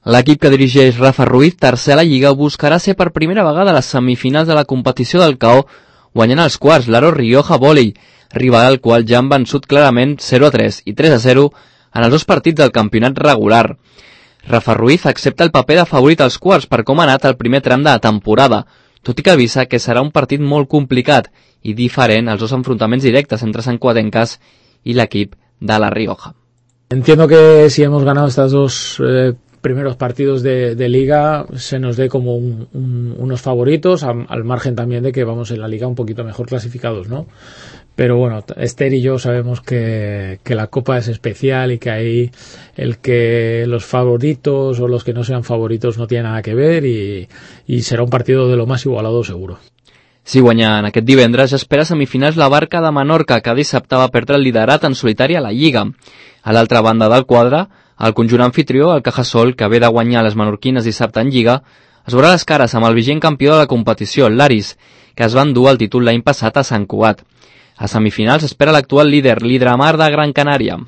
L'equip que dirigeix Rafa Ruiz, tercer a la Lliga, buscarà ser per primera vegada a les semifinals de la competició del KO, guanyant els quarts l'Aro Rioja Vòlei, rival al qual ja han vençut clarament 0-3 i 3-0 en els dos partits del campionat regular. Rafa Ruiz accepta el paper de favorit als quarts per com ha anat el primer tram de la temporada, tot i que avisa que serà un partit molt complicat i diferent als dos enfrontaments directes entre santcugatenques y el equipo de La Rioja. Entiendo que si hemos ganado estos dos primeros partidos de Liga se nos dé como unos favoritos, al margen también de que vamos en la Liga un poquito mejor clasificados, ¿no? Pero bueno, Esther y yo sabemos que la Copa es especial y que ahí el que los favoritos o los que no sean favoritos no tiene nada que ver y será un partido de lo más igualado seguro. Si guanyant aquest divendres, espera semifinals la Barca de Menorca, que dissabte va perdre el liderat en solitari a la Lliga. A l'altra banda del quadre, el conjunt anfitrió, el Cajasol, que ve de guanyar les menorquines dissabte en Lliga, es veurà les cares amb el vigent campió de la competició, l'Aris, que es va endur el títol l'any passat a Sant Cugat. A semifinals espera l'actual líder, l'Hidramar de Gran Canària.